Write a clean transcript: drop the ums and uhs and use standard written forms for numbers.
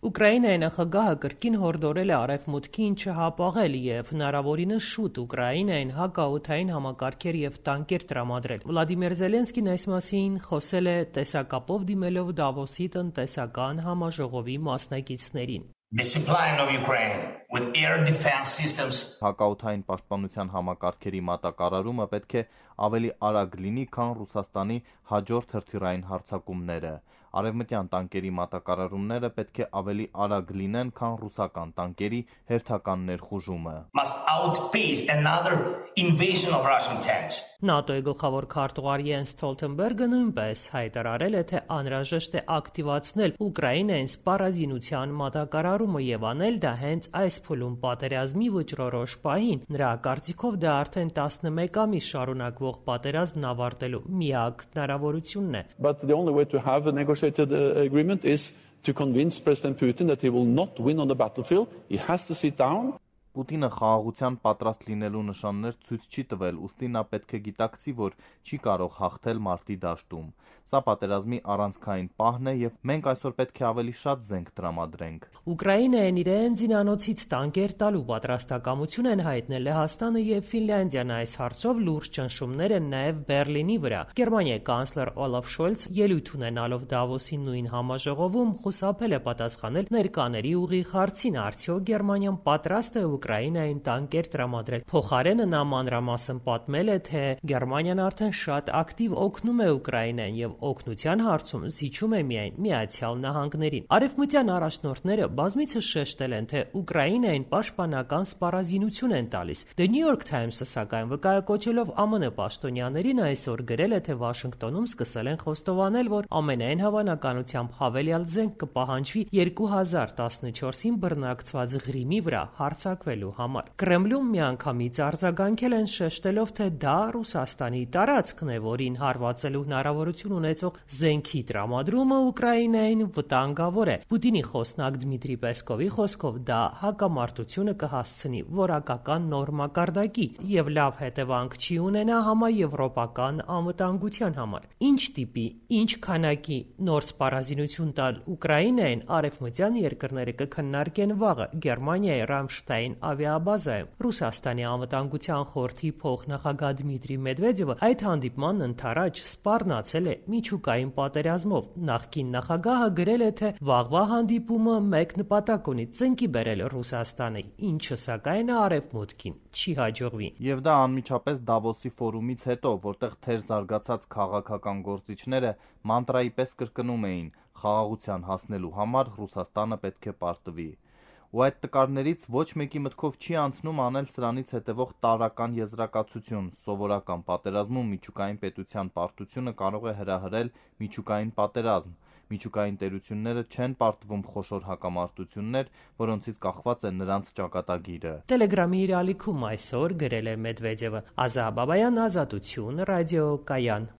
Ուկրաինայի նախագահը կրկին հորդորել է Արևմուտքին չհապաղել եւ հնարավորինս շուտ Ուկրաինային հակաօդային համակարգեր եւ տանկեր տրամադրել։ Վլադիմիր Զելենսկին այս մասին խոսել է տեսակապով դիմելով Դավոսի տնտեսական համաժողովի մասնակիցներին։ Հակաօդային պաշտպանության համակարգերի մատակարարումը պետք է ավելի արագ լինի, քան Ռուսաստանի հաջորդ հրթիռային հարձակումները։ Արևմտյան տանկերի մատակարարումները պետք է ավելի արագ լինեն, քան ռուսական տանկերի հերթական ներխուժումը։ ՆԱՏՕ-ի գլխավոր քարտուղար Յենս Ստոլտենբերգը նույնպես հայտարարել է, թե անհրաժեշտ է ակտիվացնել Ուկրաինային սպառազինության մատակարարումը եւ անել դա հենց այս փուլում պատերազմի վճռորոշ պահին։ Նրա կարծիքով դա արդեն 11 ամիս շարունակվող պատերազմն ավարտելու միակ հնարավորությունն է։ To convince President Putin that he will not win on the battlefield, he has to sit down. Պուտինը խաղաղության պատրաստ լինելու նշաններ ցույց չի տվել, ուստի նա պետք է գիտակցի, որ չի կարող հաղթել մարտի դաշտում։ Սա պատերազմի առանցքային պահն է եւ մենք այսօր պետք է ավելի շատ զենք տրամադրենք։ Ուկրաինային իրեն զինանոցից տանկեր տալու պատրաստակամություն են հայտնել Լեհաստանը եւ Ֆինլանդիան։ Այս հարցով լուրջ ճնշումներ են նաեւ Բերլինի վրա։ Գերմանիայի կանցլեր Օլաֆ Շոլց ելույթ ունենալով Դավոսի նույն համաժողովում խուսափել է պատասխանել ներկաների ուղիղ հարցին՝ արդյոք Գերմանիան պատրաստ է Ուկրաինային տանկեր տրամադրել։ Փոխարենը նա մանրամասն պատմել է, թե Գերմանիան արդեն շատ ակտիվ օգնում է Ուկրաինային եւ օգնության հարցում զիջում է միայն Միացյալ Նահանգներին։ Արևմտյան առաջնորդները բազմիցս շեշտել են, թե Ուկրաինային պաշտպանական սպառազինություն են տալիս։ The New York Times-ը սակայն վկայակոչելով ԱՄՆ պաշտոնյաներին այսօր գրել է, թե Վաշինգտոնում սկսել են խոստովանել, որ ամենայն հավանականությամբ հավելյալ զենք կպահանջվի 2014-ին բռնակցված Ղրիմի վրա հարձակվելու համար։ Կրեմլում միանգամից արձագանքել են շեշտելով, թե դա Ռուսաստանի տարածքն է, որին հարվածելու հնարավորություն ունեցող զենքի տրամադրումը Ուկրաինային վտանգավոր է։ Պուտինի խոսնակ Դմիտրի Պեսկովի խոսքով դա հակամարտությունը կհասցնի որակական նոր մակարդակի եւ լավ հետևանք չի ունենա համաեվրոպական անվտանգության համար։ Ինչ տիպի, ինչ քանակի նոր սպառազինություն տալ Ուկրաինային արևմտյան երկրները կքննարկեն վաղը Գերմանիայի Ռամշտայն ավիաբազայում։ Ռուսաստանի անվտանգության խորհրդի փոխնախագահ Դմիտրի Մեդվեդևը այդ հանդիպմանն ընդառաջ սպառնացել է միջուկային պատերազմով։ Նախկին նախագահը գրել է, թե վաղվա հանդիպումը մեկ նպատակ ունի՝ ծնկի բերել Ռուսաստանը, ինչը սակայն արևմուտքին չի հաջողվի։ Եվ դա անմիջապես Դավոսի ֆորումից հետո, որտեղ թեր զարգացած քաղաքական գործիչները մանտրայի պես կրկնում էին՝ խաղաղության հասնելու համար Ռուսաստանը պետք է պարտվի։ Ու այդ տկարներից ոչ մեկի մտքով չի անցնում անել սրանից հետևող տարրական եզրակացություն՝ սովորական պատերազմում միջուկային պետության պարտությունը կարող է հրահրել միջուկային պատերազմ։ Միջուկային տերությունները չեն պարտվում խոշոր հակամարտություններ, որոնցից կախված է նրանց ճակատագիրը։ Տելեգրամի իր ալիքում այսօր գրել է Մեդվեդևը։ Ազա Բաբայան, Ազատություն, ռադիոկայան։